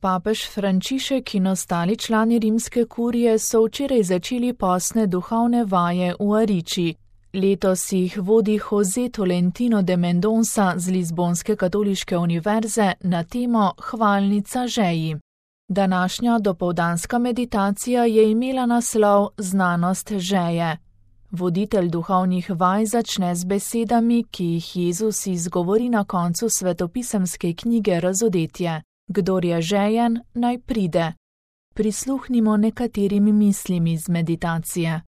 Papež Frančišek in ostali člani rimske kurije so včeraj začeli postne duhovne vaje v Ariči. Letos jih vodi Jose Tolentino de Mendonça z Lizbonske katoliške univerze na temo Hvalnica žeji. Današnja dopoldanska meditacija je imela naslov Znanost žeje. Voditelj duhovnih vaj začne z besedami, ki jih Jezus izgovori na koncu svetopisemske knjige Razodetje. Kdor je žejen, naj pride. Prisluhnimo nekaterim mislim iz meditacije.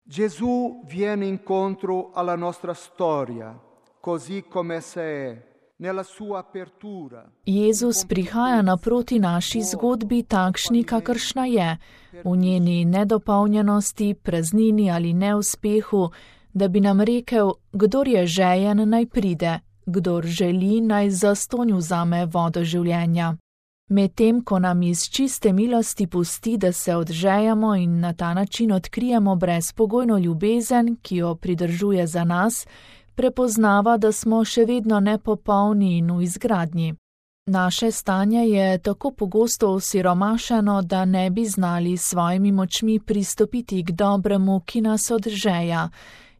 Gesù viene incontro alla nostra storia, così come essa è, nella sua apertura. Jezus prihaja naproti naši zgodbi takšni, kakršna je, v njeni nedopolnjenosti, praznini ali neuspehu, da bi nam rekel, kdor je žejen, naj pride, kdor želi, naj zastonj vzame vodo življenja. Medtem ko nam iz čiste milosti pusti, da se odžejamo in na ta način odkrijemo brezpogojno ljubezen, ki jo pridržuje za nas, prepoznava, da smo še vedno nepopolni in v izgradnji. Naše stanje je tako pogosto osiromašeno, da ne bi znali s svojimi močmi pristopiti k dobremu, ki nas odžeja.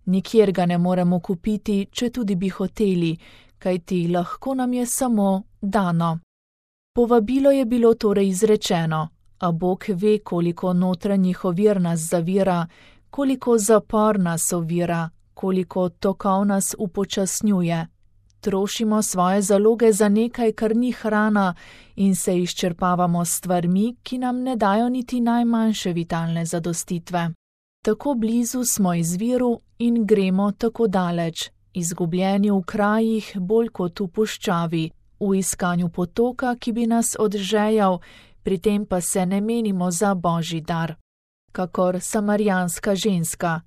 Nikjer ga ne moremo kupiti, če tudi bi hoteli, kajti lahko nam je samo dano. Povabilo je bilo torej izrečeno, a Bog ve, koliko notranjih ovir nas zavira, koliko zapor nas ovira, koliko tokov nas upočasnjuje. Trošimo svoje zaloge za nekaj, kar ni hrana, in se izčrpavamo s stvarmi, ki nam ne dajo niti najmanjše vitalne zadostitve. Tako blizu smo izviru in gremo tako daleč, izgubljeni v krajih bolj kot v puščavi, v iskanju potoka, ki bi nas odžejal, pri tem pa se ne menimo za božji dar. Kakor samarijanska ženska.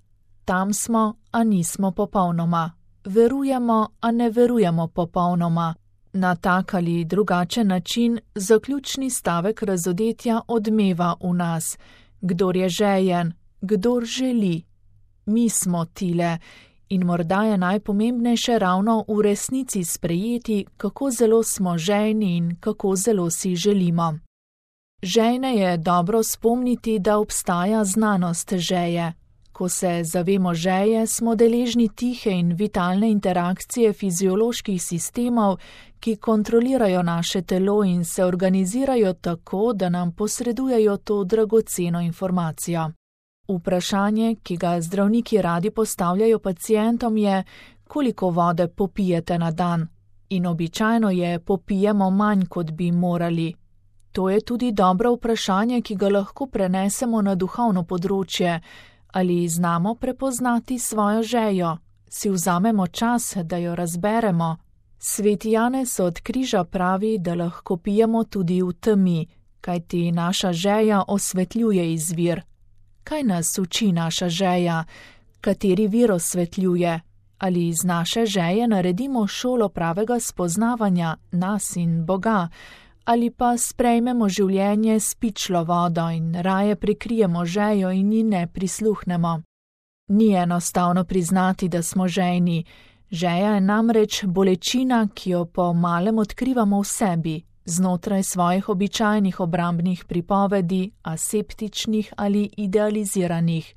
Tam smo, a nismo popolnoma. Verujemo, a ne verujemo popolnoma. Na tak ali drugačen način zaključni stavek razodetja odmeva v nas. Kdor je žejen, kdor želi. Mi smo tile. In morda je najpomembnejše ravno v resnici sprejeti, kako zelo smo žejni in kako zelo si želimo. Žejne je dobro spomniti, da obstaja znanost žeje. Ko se zavemo žeje, smo deležni tihe in vitalne interakcije fizioloških sistemov, ki kontrolirajo naše telo in se organizirajo tako, da nam posredujejo to dragoceno informacijo. Vprašanje, ki ga zdravniki radi postavljajo pacientom, je, koliko vode popijete na dan, in običajno je popijemo manj, kot bi morali. To je tudi dobro vprašanje, ki ga lahko prenesemo na duhovno področje. Ali znamo prepoznati svojo žejo? Si vzamemo čas, da jo razberemo? Sveti Janez od križa pravi, da lahko pijemo tudi v temi, kajti naša žeja osvetljuje izvir. Kaj nas uči naša žeja? Kateri vir osvetljuje? Ali iz naše žeje naredimo šolo pravega spoznavanja nas in Boga? Ali pa sprejmemo življenje s pičlo vodo in raje prikrijemo žejo in ji ne prisluhnemo? Ni enostavno priznati, da smo žejni. Žeja je namreč bolečina, ki jo po malem odkrivamo v sebi, znotraj svojih običajnih obrambnih pripovedi, aseptičnih ali idealiziranih.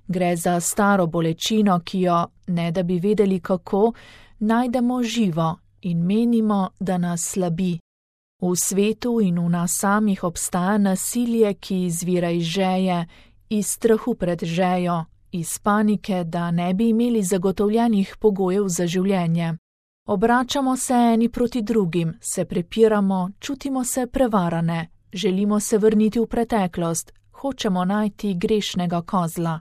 Gre za staro bolečino, ki jo, ne da bi vedeli kako, najdemo živo in menimo, da nas slabi. V svetu in v nas samih obstaja nasilje, ki izvira iz žeje, iz strahu pred žejo, iz panike, da ne bi imeli zagotovljenih pogojev za življenje. Obračamo se eni proti drugim, se prepiramo, čutimo se prevarane, želimo se vrniti v preteklost, hočemo najti grešnega kozla.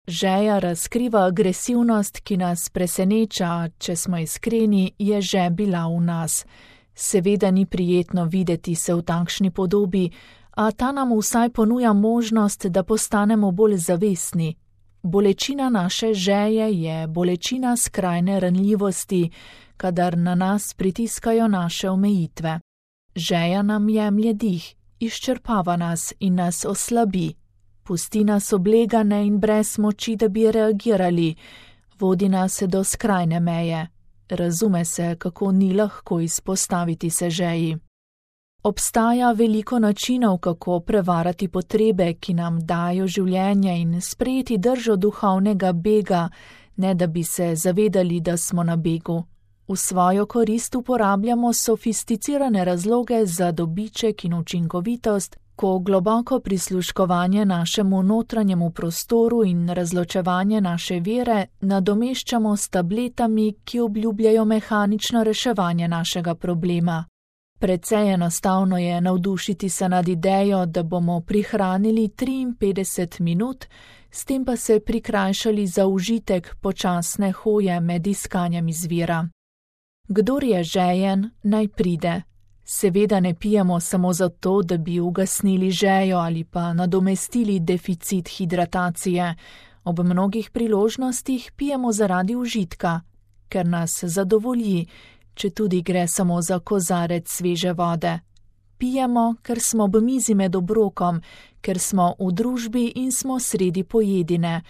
Žeja razkriva agresivnost, ki nas preseneča, če smo iskreni, je že bila v nas. Seveda ni prijetno videti se v takšni podobi, a ta nam vsaj ponuja možnost, da postanemo bolj zavestni. Bolečina naše žeje je bolečina skrajne ranljivosti, kadar na nas pritiskajo naše omejitve. Žeja nam jemlje dih, izčrpava nas in nas oslabi. Pusti nas oblegane in brez moči, da bi reagirali, vodi nas do skrajne meje. Razume se, kako ni lahko izpostaviti se žeji. Obstaja veliko načinov, kako prevarati potrebe, ki nam dajo življenje, in sprejeti držo duhovnega bega, ne da bi se zavedali, da smo na begu. V svojo korist uporabljamo sofisticirane razloge za dobiček in učinkovitost, ko globoko prisluškovanje našemu notranjemu prostoru in razločevanje naše vere nadomeščamo s tabletami, ki obljubljajo mehanično reševanje našega problema. Precej enostavno je navdušiti se nad idejo, da bomo prihranili 53 minut, s tem pa se prikrajšali za užitek počasne hoje med iskanjem izvira. Kdor je žejen, naj pride. Seveda ne pijemo samo zato, da bi ugasnili žejo ali pa nadomestili deficit hidratacije. Ob mnogih priložnostih pijemo zaradi užitka, ker nas zadovolji, če tudi gre samo za kozarec sveže vode. Pijemo, ker smo ob mizi med obrokom, ker smo v družbi in smo sredi pojedine,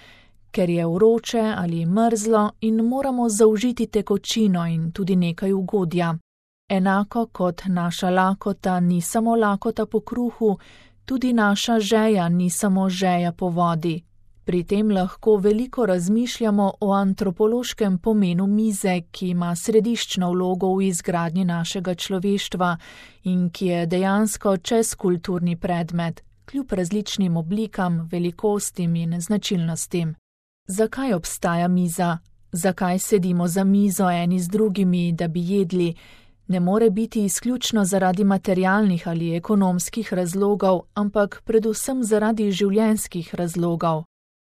ker je vroče ali mrzlo in moramo zaužiti tekočino in tudi nekaj ugodja. Enako kot naša lakota ni samo lakota po kruhu, tudi naša žeja ni samo žeja po vodi. Pri tem lahko veliko razmišljamo o antropološkem pomenu mize, ki ima središčno vlogo v izgradnji našega človeštva in ki je dejansko čezkulturni predmet, kljub različnim oblikam, velikostim in značilnostim. Zakaj obstaja miza? Zakaj sedimo za mizo eni z drugimi, da bi jedli? Ne more biti izključno zaradi materialnih ali ekonomskih razlogov, ampak predvsem zaradi življenjskih razlogov.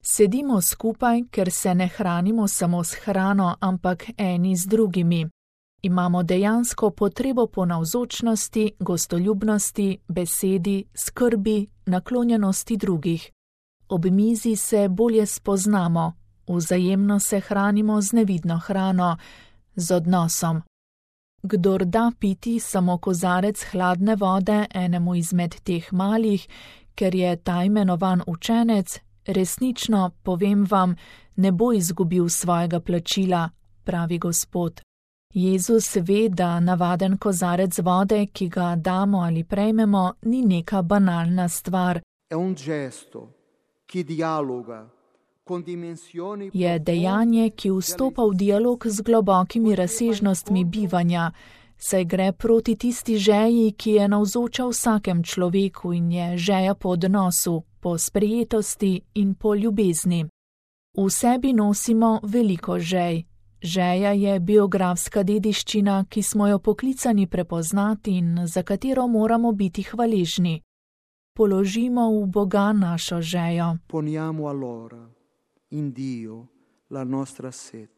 Sedimo skupaj, ker se ne hranimo samo s hrano, ampak eni z drugimi. Imamo dejansko potrebo po navzočnosti, gostoljubnosti, besedi, skrbi, naklonjenosti drugih. Ob mizi se bolje spoznamo, vzajemno se hranimo z nevidno hrano, z odnosom. Kdor da piti samo kozarec hladne vode enemu izmed teh malih, ker je ta imenovan učenec, resnično, povem vam, ne bo izgubil svojega plačila, pravi Gospod. Jezus ve, da navaden kozarec vode, ki ga damo ali prejmemo, ni neka banalna stvar. Je dejanje, ki vstopa v dialog z globokimi razsežnostmi bivanja, saj gre proti tisti žeji, ki je navzoča vsakem človeku in je žeja po odnosu, po sprejetosti in po ljubezni. V sebi nosimo veliko žej. Žeja je biografska dediščina, ki smo jo poklicani prepoznati in za katero moramo biti hvaležni. Položimo v Boga našo žejo. Poniamo allora in Dio la nostra sete.